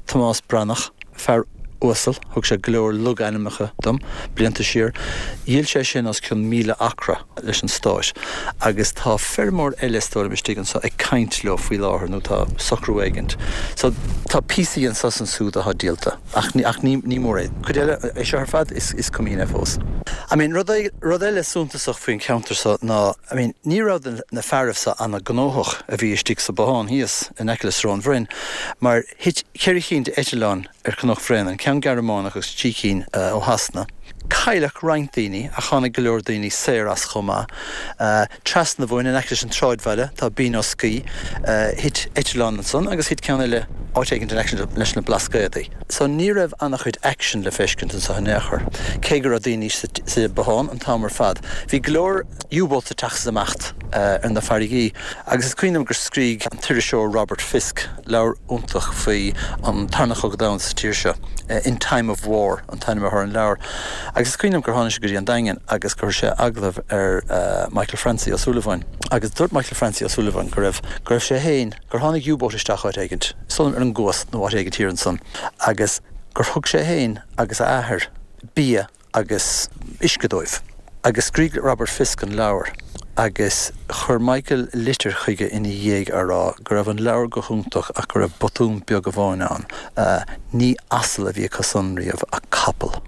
Tomás Breathnach, fear uasal, thug sé go leor logainmneacha dom blianta siar. Dhíol sé sin os cionn 1,000 acra leis an Stát agus tá feirmeoir eile is dóigh liom istigh anso ag caint leo faoi láthair nó tá socrú éigint. So tá píosaí anso is ansúd atá díolta. Ach ach ní ní mór é. Cuid eile, é seo ar fad, is is coimín é fós. I mean, rud rud eile suntasach faoin cheantar seo ná, I mean, ní raibh na na fearaibh seo ana-ghnóthach a bhí istigh sa bothán thíos in aice le Srón Bhroin, mar thit cheithre chinn d'eitileáin ar Chnoc Bhréanainn, ceann Gearmánach agus trí cinn ó Shasana. Cailleadh roinnt daoine ach tháinig go leor daoine saor as chomh maith. Trasna an bhóthair, in aice leis an tsráidbhaile, tá Binn Oscaí. Thit eitleán ansan agus thit ceann eile áit éigint in aice leis na Blascaodaí. So ní raibh an-chuid action le feiscint anso in aon chor, cé go raibh daoine sa bothán an t-am ar fad. Bhí go leor U-boats ag teacht is ag imeacht ar na farraigí agus is cuimhin liom gur scrígh an t-iriseoir Robert Fisk leabhar iontach faoi an Tarna Chogadh Domhanda sa tír seo, In Time of War an t-ainm atá ar an leabhar. Agus is cuimhin liom gur tháinig sé go dtí an Daingean agus gur chuir sé agallamh ar Michael Francie Ó Súilleabháin agus dúirt Michael Francie Ó Súilleabháin go raibh, go raibh sé féin, gur tháinig U-boat isteach áit éigint, is dóigh liom ar an gCuas nó áit éigint thiar ansan agus gur thug sé féin agus a athair bia agus uisce dóibh. Agus scrígh Robert Fisk an leabhar agus chuir Michael litir chuige ina dhiaidh á rá go raibh an leabhar go hiontach ach go raibh botún beag amháin ann, ní asal a bhí acu san riamh ach capall.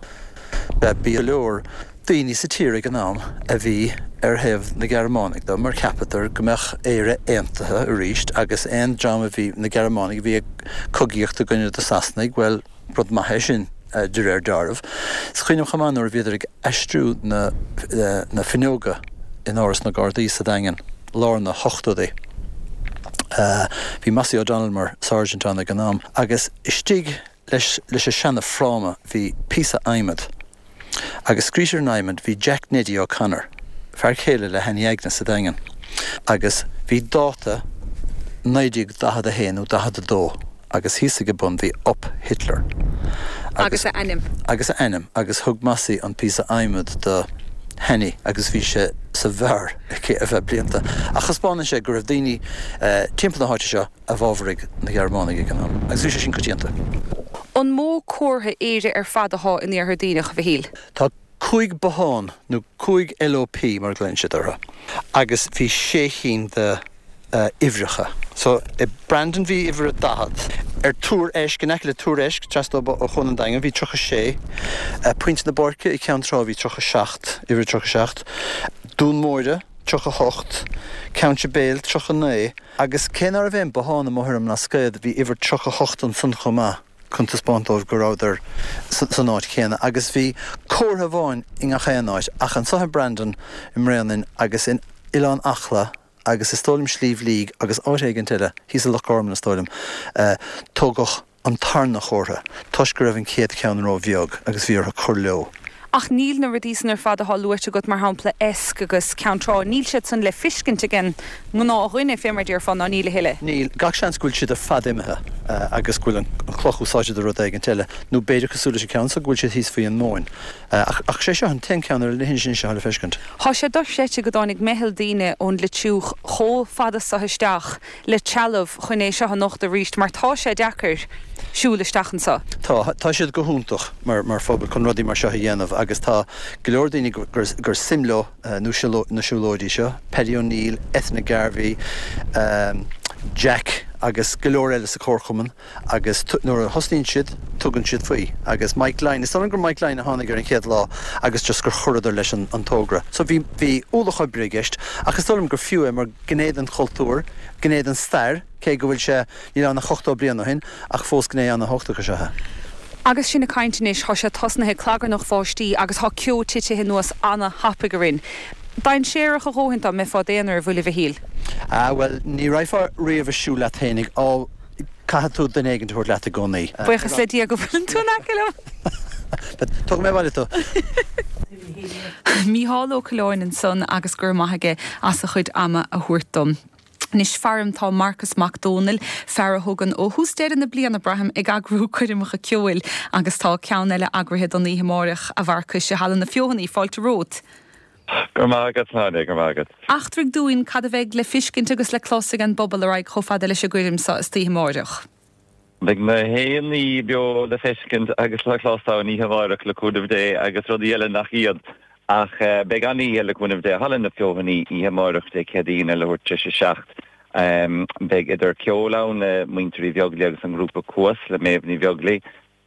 Bhí go leor daoine sa tír ag an am a bhí ar thaobh na Gearmánaigh de mar cheapadar go mbeadh Éire aontaithe arís agus aon dream a bhí, na Gearmánaigh a bhí ag cogaíocht i gcoinne na Sasanaigh, bhuel, Rud maith é sin, de réir dealraimh. Is cuimhin liom chomh maith nuair a bhíodar ag aistriú na na fuinneoga in Áras na Gardaí sa Daingean, lár na hochtóidí. Bhí Mossie O'Donnell mar Sergeant ann ag an am agus istigh leis leis an seana fráma bhí píosa adhmad. Agus scríte ar an adhmad bhí Jack Neddy O'Connor, fear céile le hAnnie Agnes sa Daingean, agus bhí dáta 1941 nó 42 agus thíos ag a bun bhí Up Hitler. Agus a ainm. Agus a ainm. Agus thug Mossie an píosa adhmaid do Hannie agus bhí sé sa bheár aici ar feadh blianta. Ach thaispeánann sé go raibh daoine timpeall na háite seo a bhfabhraigh na Gearmánaigh ag an am, agus bhí sé sin coitianta. An mó comhartha Éire ar fad athá in Iarthar Duibhneach, a Mhichíl? Tá 5 bothán, nó 5 LOP mar a ghlaonn siad orthu, agus bhí sé chinn de uimhreacha. So, i Brandon bhí uimhir a 40, ar Tuar Eisc, in aice le Tuar Eisc, trasna ó Chuan an Daingin, bhí 36, Pointe na Páirce i Ceann Trá bhí 37, uimhir 37, Dún Móire, 38, Ceann Sibéal, 39, Agus cé ná raibh aon bothán amuigh ar an mBlascaod, bhí uimhir 38 ansan chomh maith chun taispeáint dóibh go rabhadar san áit chéanna. Agus bhí comhartha amháin i ngach aon áit, ach anso i Brandon, i mBréanainn agus in Oileán Acla agus is dóigh liom Sliabh Liag agus áit éigint eile, thíos i Loch Garman is dóigh liom, tógadh an tarna chomhartha, toisc go raibh an chéad cheann ró-bheag agus bhí orthu cur leo. Ach níl na rudaí san ar fad athá luaite agat, mar shampla Esk agus Ceann Trá, níl siad san le fiscint ag an ngnáthdhuine, fé mar déarfá, ná níl a thuilleadh. Níl. Gach seans go bhfuil siad ar fad imithe agus go bhfuil an chloch úsáidte do rud éigint eile, nó b'fhéidir, cosúil leis an ceann so, go bhfuil siad thíos faoi an móin. Ach sé seo an t-aon ceann ar an leithinis anois atá le feiscint. Thá sé dochreidte go dtáinig meitheal daoine ón Leitriúch chomh fada so isteach le trealamh chun é seo a nochtadh arís mar tá sé deacair siúl isteach anso. Tá, tá siad go hiontach mar mar phobal chun rudaí mar seo a dhéanamh agus tá go leor daoine gur gur suim leo na siúlóidí seo, Paddy O'Neill, Ethna Garvey, Jack agus go leor eile sa chomharchumann agus nuair a thosnaíonn siad tugann siad faoi agus Mike Lyne, is dóigh liom gur Mike Lyne a tháinig ar an chéad lá agus just gur chuireadar leis an an togra. So bhí bhí ualach oibre i gceist ach is dóigh liom gur fiú é mar gné den chultúr, gné den stair, cé go bhfuil sé, níl ann ach 80 bliain ó shin, ach fós gné an-thábhachtach is ea é. Agus sinn ag caint anois, thá sé tosnaithe ag clagarnach bháistí agus thá ceo titithe anuas ana-thapaidh orainn. Dainséarach a dhóthain dá mbeifeá d'aonar, an bhfuil, a Mhichíl? Ah, bhuel, ní raghfá riamh ag siúl leat fhéinig, á, caithfidh tú duine éigin a thabhairt leat i gcónaí. Buíochas le Dia go bhfuileann tú in aice liom. Tógfaidh mé abhaile tú. Mícheál Ó Coileáin ansan agus go raibh maith aige as a chuid ama a thabhairt dom. Anois faram tá Marcas Mac Dónaill, fear a thugann ó thús deireadh na bliana, braithim, ag eagrú coirmeacha ceoil agus tá ceann eile eagraithe don oíche amáireach, a Mharcais, i Halla na Feothanaí. Fáilte romhat. Go raibh maith agat, Áine, go raibh maith agat. Eachtraigh dúinn cad a bheidh le fiscint agus le clos ag an bpobal a raghaidh chomh fada leis an gcoirm so istoíche amáireach. Beidh na haon ní beo le feiscint agus le clos ann oíche amárach le cúnamh Dé agus rudaí eile nach iad. Ach beidh an-oíche le cúnamh Dé i Halla na Feothanaí oíche amárach Dé Céadaoin ar leathuair tar éis a 7. Beidh idir ceol ann le Muintir Uí Bheaglaoi agus an grúpa Cuas le Méabh Ní Bheaglaoi.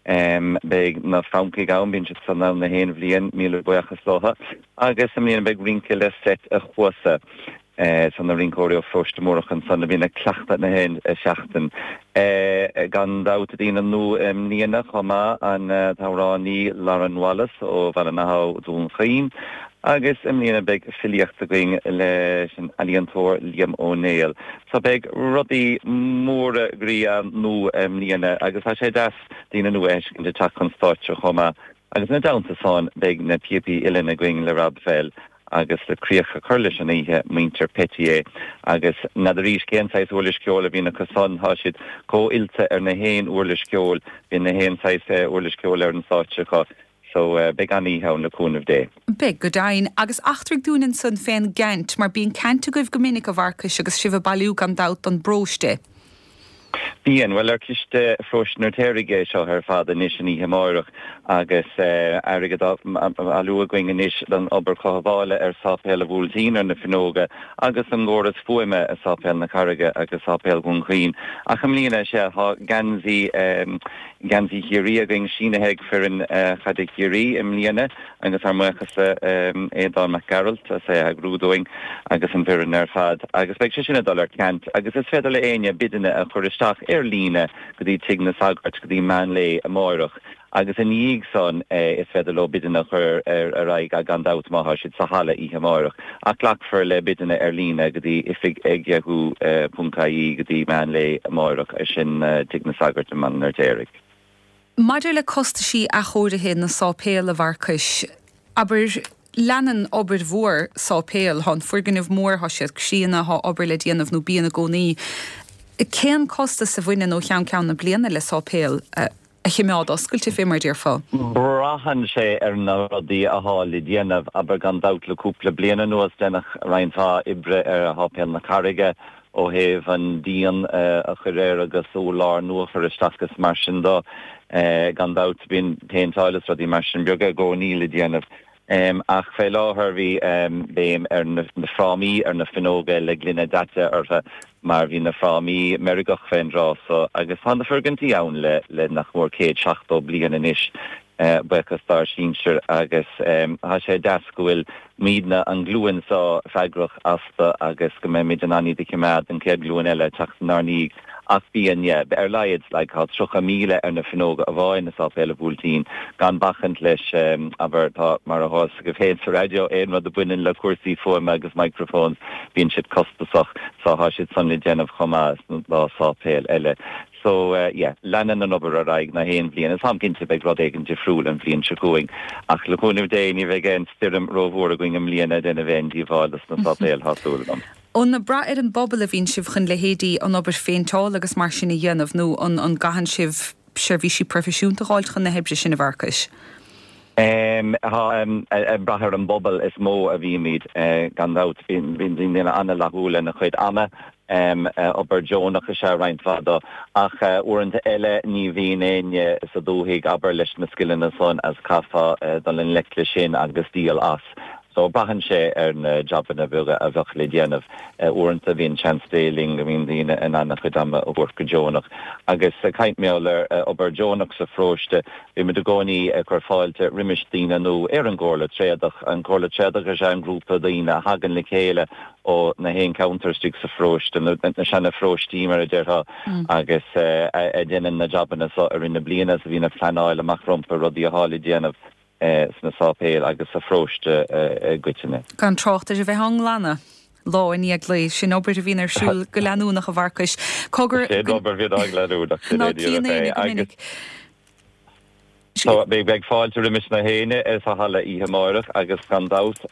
Beidh na Francaigh ann, bíonn siad san ann na haon bhliain, míle buíochas leo. Agus i mbliana beidh rince le Seit a' Chuasa. San na rinceoirí ó Pharóiste Múrach ansan a bhíonn ag cleachtadh na haon seachtain. Gan dabht daoine nua i mbliana chomh maith, an t-amhránaí Lauren Wallace ó Ballinahoe, Dún Chaoin. Agus i mbliana beidh filíocht againn leis an ealaíontóir Liam Ó Néill. So beidh rudaí móra groí ann nua i mbliana agus tá sé deas daoine nua a fheiscint ag teacht chun stáitse chomh maith. Agus ina dteannta san beidh na píopaí uilleann againn le Rob Fell agus le críoch a chur leis an oíche, muintir Petier. Agus n'fheadaraís cén saghas uirlis ceoil a bhíonn acu san, tá siad chomh oilte ar na haon uirlis ceoil, bíonn na haon saghas uirlis ceoil ar an stáitse acu. So beidh an-oíche ann le cúnamh Dé. Beidh, go deimhin. Agus eachtraigh dúinn ansan fén gceant, mar bíonn ceant agaibh go minic, a Mharcais, agus sibh ag bailiú gan dabht don bparóiste. Bíonn. Bhuel, ar Ciste Pharóiste an Fheirtéaraigh é seo ar fad anois an oíche amáireach agus airgead á bhailiú againn anois don obair chothabhála ar Sáipéal a' Bhuailtín ar na fuinneoga agus an gcóras fuaime i Sáipéal na Carraige agus Sáipéal Dhún Chaoin. Ach i mbliana, sea, tá geansaí, Geansaí Chiarraí againn sínithe ag foireann chaide Chiarraí i mbliana agus ár mbuíochas le Aodán Mac Gearailt as é a eagrú dúinn agus an bhfoireann ar fad agus beidh sé sin ag dul ar ceant agus is féidir le éinne bideanna a chur isteach ar líne go dtí Tigh na Sagart go dtí meán lae amáireach agus ina dhiaidh san is féidir leo bideanna a chur ar aghaidh gan dabht má thá siad sa halla oíche amáireach ach glacfar le bideanna ar líne go dtí oifig ag yahoo ponc ie go dtí meán lae amáireach, sin Tigh na Sagart i mBaile an Fheirtéaraigh. Maidir le costaisí athchóirithe na sáipéal, a Mharcais, abair, leanann obair mhór sáipéal, thá an foirgneamh mór, thá siad críonna, thá obair le déanamh nó bíonn i gcónaí. Cén costas a bhaineann ó cheann ceann na bliana le sáipéal a choimeád oscailte, fé mar a déarfá? Braitheann sé ar na rudaí athá le déanamh. Abair, gan dabht le cúpla bliain anuas deineadh roinnt mhaith oibre ar Sháipéal na Carraige ó thaobh an díon a chur air agus urlár nua a chur isteach is mar sin do. Gan dabht bíonn péinteáil is rudaí mar sin beaga i gcónaí le déanamh. Ach fé láthair bhí béim ar na frámaí ar na fuinneoga le gloine daite orthu mar bhí na frámaí meirgeach fén dtráth so agus tá na foirgintí ann le nach mór 170 bliain anois, buíochas dár sinsir agus tá sé deas go bhfuil muidne, an ghlúin so, freagrach astu agus go mbeimid in ann iad a choimeád don chéad ghlúin eile ag teacht inár ndiaidh. Ach bíonn, yeah, ar a laghad, like, tá 30,000 ar na fuinneoga amháin i Sáipéal a' Bhuailtín, gan bacaint leis, abair, tá, mar atá fhios agaibh féin sa raidió, aon rud a bhaineann le cúrsaí fuaime agus microphones, bíonn siad costasach, so tá siad san le déanamh chomh maith sna dá sáipéal eile. So, yeah, leanann an obair ar aghaidh na haon bhliain, is táim cinnte beidh rud éigin difriúil an bhliain seo chugainn, ach le cúnamh Dé ní bheidh aon stoirm rómhór againn i mbliana ag déanamh aon díobháil dos na sáipéil, tá súil agam. An ag brath ar an bpobal a bhíonn sibh chun leithéidí an obair phéinteála agus mar sin a dhéanamh nó an an gcaitheann sibh seirbhísí proifisiúnta a dh'fháilt chun na hoibre sin, a Mharcais? Tá, ag brath ar an bpobal is mó a bhímid, gan dabht. Bíonn daoine an-fhlaithiúil lena chuid ama. Obair deonach is ea roinnt mhaith dó. Ach uaireanta eile ní bhíonn éinne sa dúthaigh, abair, leis na scileanna san agus caithfeá dul i ngleic leis sin agus díol as. So braitheann sé ar na jabanna beaga a bheadh le déanamh. Uaireanta bíonn seans Dé linn go mbíonn daoine in ann a chuid ama a thabhairt go deonach. Agus ag caint mar gheall ar obair deonach sa pharóiste, bímid i gcónaí ag cur fáilte roimis daoine nua ar an gComhairle Tréadach. An Comhairle Tréadach is ea an grúpa daoine a thagann le chéile ó na haon ceantar istigh sa pharóiste, na seana pharóistí mar a déarfá, agus a dhéanann na jabanna so i rith na bliana is a bhíonn ag pleanáil amach rompu rudaí athá le déanamh. sna sáipéil agus sa pharóiste i gcoitinne. Gan trácht ar a bheith á nglanadh lá i ndiaidh lae. Sin obair a bhíonn ar siúl go leanúnach, a Mharcais. Cogar. Sin obair a bhíonn go leanúnach, sin é díreach é. Agus. So, beidh fáilte roimis na héinne sa halla oíche amáireach agus gan dabht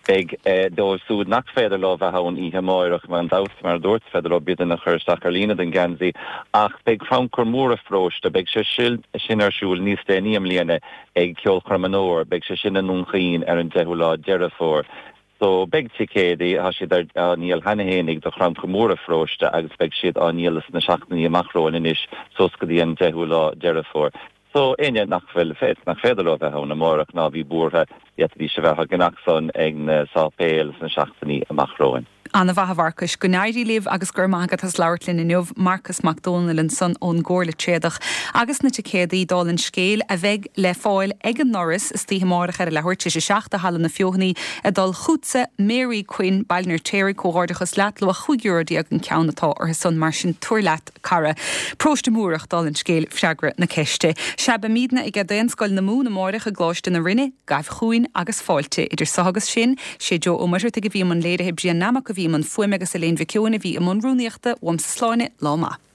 beidh dóibh súd nach féidir leo bheith ann oíche amáireach, gan dabht, mar a dúirt, is féidir leo bideanna a chur isteach ar líne don gheansaí ach beidh crannchur mór an pharóiste, beidh sé sin ar siúl níos déanaí i mbliana ag Ceolchoirm an Fhómhair, beidh sé sin i nDún Chaoin ar an 10ú lá Deireadh Fómhair. So, beidh ticéadaí, tá siad ar, á ndíol cheana fhéinig do chrannchur mór an pharóiste agus beidh siad á ndíol sna seachtainí amach romhainn anois suas go dtí an 10ú lá Deireadh Fómhair. So, éinne nach bhfuil, nach féidir leo bheith ann amárach ná bhí buartha, d'fhéadfaidís a bheith á gceannach san ag na sáipéil sna seachtainí amach romhainn. Ana-mhaith a Mharcais. Go n-éirí libh agus go raibh maith agat as labhairt linn inniu. Marcas Mac Dónaill ansan ón gComhairle Tréadach. Agus na ticéadaí, dála an scéil, a bheidh le fáil ag an ndoras istoíche amárach ar a leathuair tar éis a 7 i Halla na Feothanaí ag dul chughatsa, Mary Quinn, Baile an Fheirtéaraigh, Comhghairdeachas leat, luach €15 euro an ceann atá orthu san, mar sin tabhair leat cara. Paróiste Múrach, dála an scéil, freagra na ceiste. Sea, beimídne aige Daonscoil na Mumhan amáireach i gColáiste na Rinne. Gabh chugainn agus fáilte. Idir so agus sin, sé Joe Ó Muircheartaigh a bhí i mbun léirithe, Brian Nammock a bhí i mbun fuaime agus Elaine Mhic Eoin a bhí i mbun rúnaíochta. Uaimse slán, lá maith.